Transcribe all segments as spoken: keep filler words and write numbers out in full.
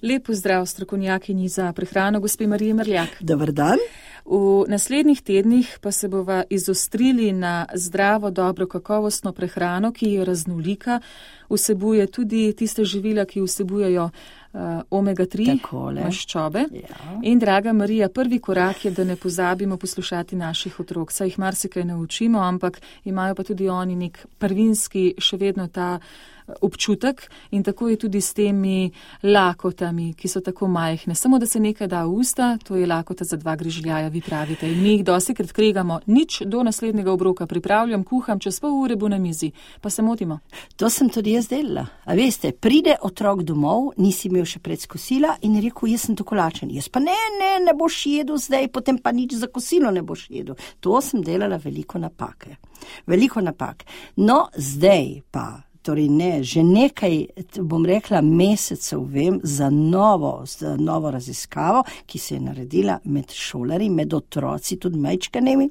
Lep pozdrav strokovnjakinji za prehrano, gospe Mariji Merljak. Dobar dan. V naslednjih tednih pa se bova izostrili na zdravo, dobro, kakovostno prehrano, ki je raznolika, vsebuje tudi tiste živila, ki vsebujejo uh, omega tri maščobe. Ja. In draga Marija, prvi korak je, da ne pozabimo poslušati naših otrok. Saj jih marsikaj naučimo, ampak imajo pa tudi oni nek prvinski še vedno ta občutek in tako je tudi s temi lakotami, ki so tako majhne. Samo da se nekaj da v usta, to je lakota za dva grižljaja, vi pravite. In mi jih dostikrat kregamo, nič do naslednjega obroka, pripravljam, kuham, čez pol ure bo na mizi. Pa se motimo. To sem tudi jaz delala. A veste, pride otrok domov, nisi imel še pred kosila in rekel, jaz sem tako lačen. Jaz pa ne, ne, ne boš jedel zdaj, potem pa nič za kosilo ne boš jedel. To sem delala veliko napake. Veliko napak. No, zdaj pa Torej ne, že nekaj, bom rekla, mesecev vem za novo, za novo raziskavo, ki se je naredila med šolarji, med otroci, tudi majčkanemi,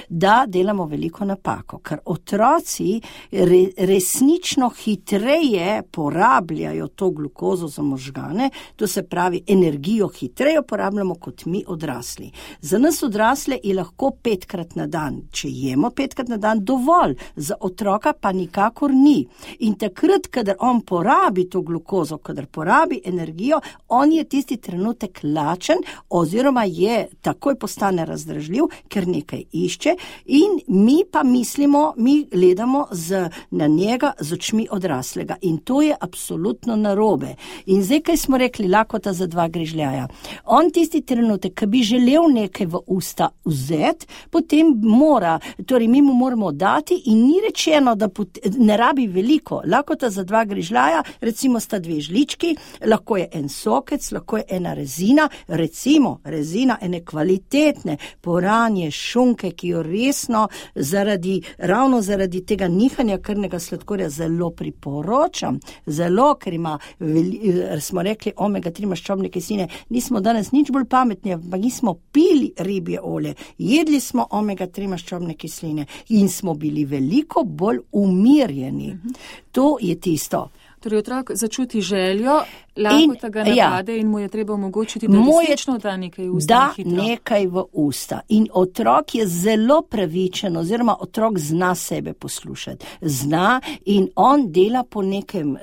da delamo veliko napako, ker otroci re, resnično hitreje porabljajo to glukozo za možgane, to se pravi energijo hitreje porabljamo kot mi odrasli. Za nas odrasle je lahko petkrat na dan, če jemo petkrat na dan, dovolj, za otroka pa nikakor ni. In takrat, kadar on porabi to glukozo, kadar porabi energijo, on je tisti trenutek lačen oziroma je takoj postane razdražljiv, ker nekaj išče in mi pa mislimo, mi gledamo z, na njega z očmi odraslega in to je absolutno narobe. In zdaj, kaj smo rekli, lakota za dva grižljaja. On tisti trenutek, ki bi želel nekaj v usta vzeti, potem mora, torej mi mu moramo dati in ni rečeno, da pot, ne rabi veliko. Lakota za dva grižljaja, recimo sta dve žlički, lahko je en sokec, lahko je ena rezina, recimo rezina ene kvalitetne poranje šunke, ki jo resno zaradi, ravno zaradi tega nihanja krvnega sladkorja zelo priporočam, zelo, ker ima, smo rekli, omega tri maščobne kisline, nismo danes nič bolj pametni, ampak nismo pili ribje olje, jedli smo omega tri maščobne kisline in smo bili veliko bolj umirjeni. Mhm. To je tisto. Torej otrok začuti željo, lakota ga napade ja. In mu je treba omogočiti, da resnično da nekaj v usta. Da nekaj v usta. In otrok je zelo pravičen, oziroma otrok zna sebe poslušati. Zna in on dela po nekem uh,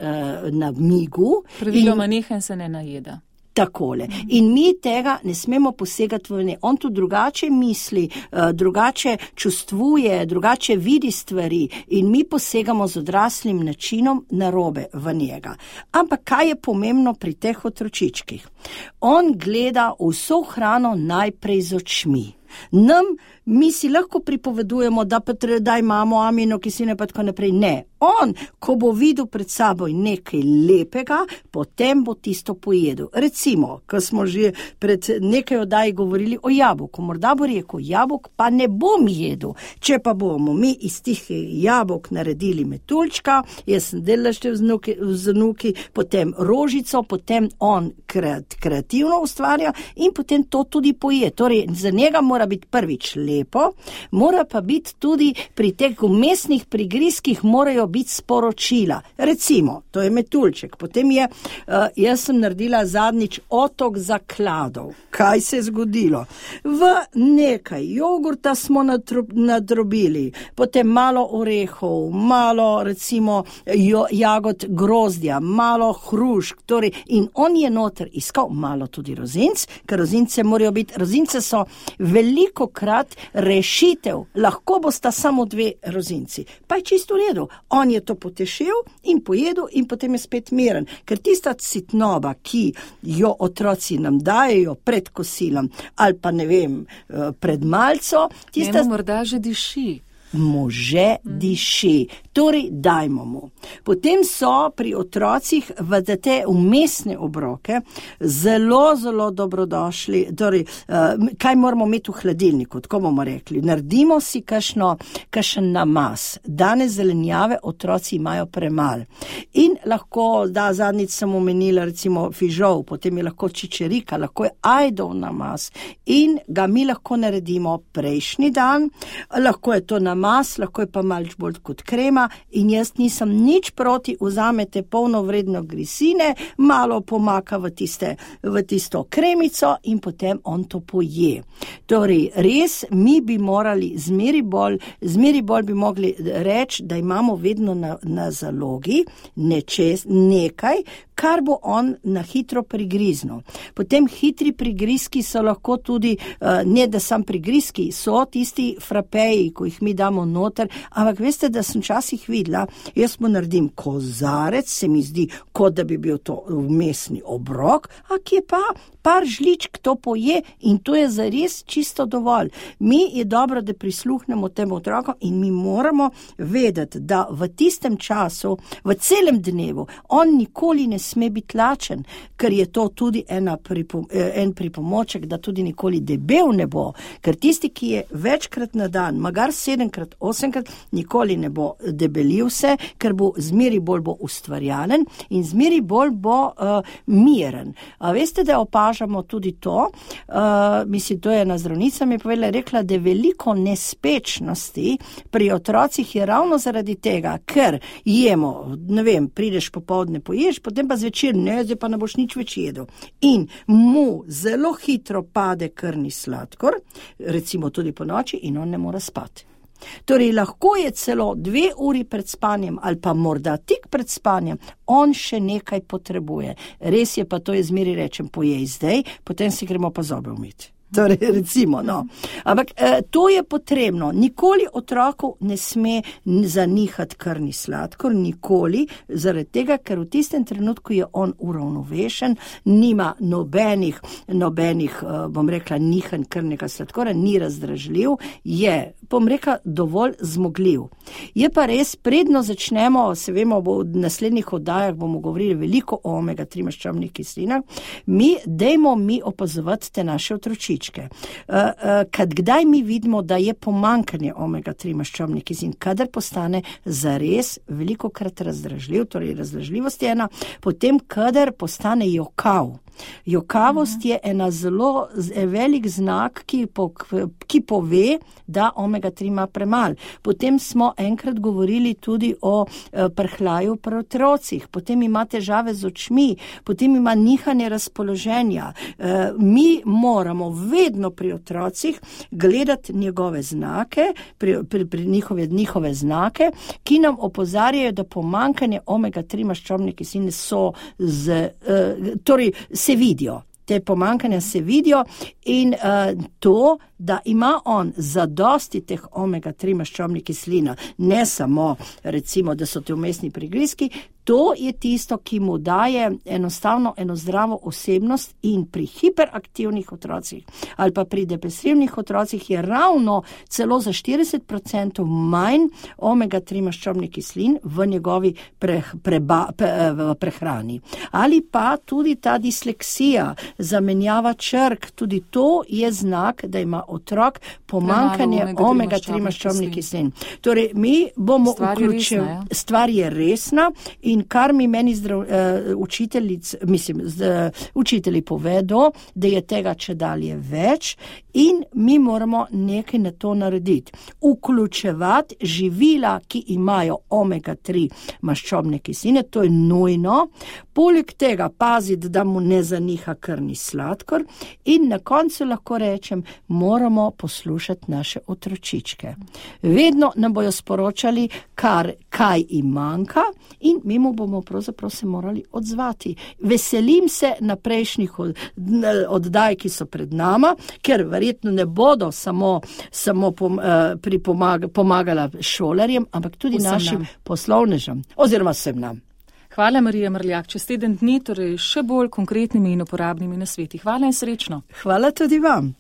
namigu. Praviloma nehen se ne najeda. Takole. In mi tega ne smemo posegati v ne. On tu drugače misli, drugače čustvuje, drugače vidi stvari in mi posegamo z odraslim načinom narobe v njega. Ampak kaj je pomembno pri teh otročičkih? On gleda vso hrano najprej z očmi. Nam, mi si lahko pripovedujemo, da pa da imamo aminokisline pa tako naprej. Ne. On, ko bo videl pred saboj nekaj lepega, potem bo tisto pojedel. Recimo, ko smo že pred nekaj oddaji govorili o jabolku, morda bo rekel, jabolk pa ne bom jedel. Če pa bomo mi iz tih jabolk naredili metuljčka, jaz sem delala še z vnuki, potem rožico, potem on kreativno ustvarja in potem to tudi poje. Torej, za njega mora biti prvič lepo, mora pa biti tudi pri teh umestnih prigrizkih morajo biti sporočila. Recimo, to je metuljček. Potem je, uh, jaz sem naredila zadnjič otok zakladov. Kaj se je zgodilo? V nekaj jogurta smo nadrobili, potem malo orehov, malo recimo jo, jagod grozdja, malo hrušk, torej in on je noter iskal malo tudi rozinc, ker rozince morajo biti, rozince so veliko krat rešitev, lahko bosta samo dve rozinci. Pa je čisto v redu. On je to potešil in pojedel in potem je spet miren. Ker tista sitnoba, ki jo otroci nam dajejo pred kosilom ali pa ne vem, pred malco, tista... Njemu morda že diši. Može diši. Torej, dajmo mu. Potem so pri otrocih v te umestne obroke zelo, zelo dobrodošli. Torej, kaj moramo imeti v hladilniku, tako bomo rekli. Naredimo si kakšno, kakšen namaz. Danes zelenjave otroci imajo premal. In lahko, da zadnjič sem omenila recimo fižol, potem je lahko čičerika, lahko je ajdov namaz. In ga mi lahko naredimo prejšnji dan, lahko je to namaz mas, lahko je pa malč bolj kot krema in jaz nisem nič proti, vzamete polnovredno grisine, malo pomaka v, tiste, v tisto kremico in potem on to poje. Torej, res mi bi morali zmeri bolj, zmeri bolj bi mogli reči, da imamo vedno na, na zalogi nečes, nekaj, kar bo on na hitro prigriznil. Potem hitri prigrizki so lahko tudi, ne da sam prigrizki, so tisti frapeji, ko jih mi damo noter, ampak veste, da sem časih videla, jaz mu naredim kozarec, se mi zdi, kot da bi bil to vmesni obrok, a kje pa par žličk to poje in to je zares čisto dovolj. Mi je dobro, da prisluhnemo temu otroku in mi moramo vedeti, da v tistem času, v celem dnevu, on nikoli ne sme biti lačen, ker je to tudi ena pripom- en pripomoček, da tudi nikoli debel ne bo, ker tisti, ki je večkrat na dan, magar sedemkrat, osemkrat, nikoli ne bo debelil se, ker bo zmeri bolj bo ustvarjalen in zmeri bolj bo uh, miren. A veste, da opažamo tudi to, uh, mislim, to je ena zdravnica mi je povedala, rekla, da veliko nespečnosti pri otrocih je ravno zaradi tega, ker jemo, ne vem, prideš popoldne, poješ, potem pa zvečer, ne, zdaj pa ne boš nič več jedel. In mu zelo hitro pade krvni sladkor, recimo tudi po noči, in on ne more spati. Torej, lahko je celo dve uri pred spanjem ali pa morda tik pred spanjem, on še nekaj potrebuje. Res je pa to, je zmeri rečem, pojej zdaj, potem si gremo pa zobe umiti. Torej, recimo, no. Ampak eh, to je potrebno. Nikoli otroku ne sme zanihati krvni sladkor, nikoli, zaradi tega, ker v tistem trenutku je on uravnovešen, nima nobenih, nobenih, eh, bom rekla, nihanj krvnega sladkora, ni razdražljiv, je, bom rekla, dovolj zmogljiv. Je pa res, predno začnemo, se vemo, v naslednjih oddajah bomo govorili veliko o omega tri maščobnih kislinah, mi, dejmo mi opazovati te naše otročiče. Uh, uh, kad kdaj mi vidimo, da je pomankanje omega tri maščobnih kislin, kadar postane zares veliko krat razdražljiv, torej razdražljivost je ena, potem kadar postane jokav. Jokavost je ena zelo velik znak, ki, po, ki pove, da omega tri ima premal. Potem smo enkrat govorili tudi o e, prhljaju pri otrocih, potem ima težave z očmi, potem ima nihanje razpoloženja. E, mi moramo vedno pri otrocih gledati njegove znake, pri, pri, pri njihove, njihove znake, ki nam opozarjajo, da pomankanje omega tri maščobne kisline so z, e, torej se vidijo. Te pomankanja se vidijo in uh, to, da ima on zadosti teh omega tri maščobnih kislina, ne samo recimo, da so te vmesni prigrizki, to je tisto, ki mu daje enostavno eno zdravo osebnost in pri hiperaktivnih otrocih ali pa pri depresivnih otrocih je ravno celo za štirideset procentov manj omega tri maščobnih kislin v njegovi pre, preba, pre, v prehrani. Ali pa tudi ta disleksija, zamenjava črk, tudi to je znak, da ima otrok pomankanje omega tri maščobnih kislin. Torej, mi bomo vključili, ja. Stvar je resna in kar mi meni zdrav, uh, učiteljic, mislim, z, uh, učitelji povedo, da je tega čedalje več in mi moramo nekaj na to narediti. Vključevati živila, ki imajo omega tri maščobne kisline, to je nujno. Poleg tega paziti, da mu ne zaniha krvni sladkor in na koncu lahko rečem, moramo poslušati naše otročičke. Vedno nam bojo sporočali, kar, kaj jim manjka in mi mu bomo pravzaprav se morali odzvati. Veselim se na prejšnjih oddaj, ki so pred nama, ker verjetno ne bodo samo, samo pom, uh, pripomag, pomagala šolarjem, ampak tudi vsem našim nam. Poslovnežem oziroma vsem nam. Hvala, Marija Mrljak. Čez teden dni, torej še bolj konkretnimi in uporabnimi nasveti. Hvala in srečno. Hvala tudi vam.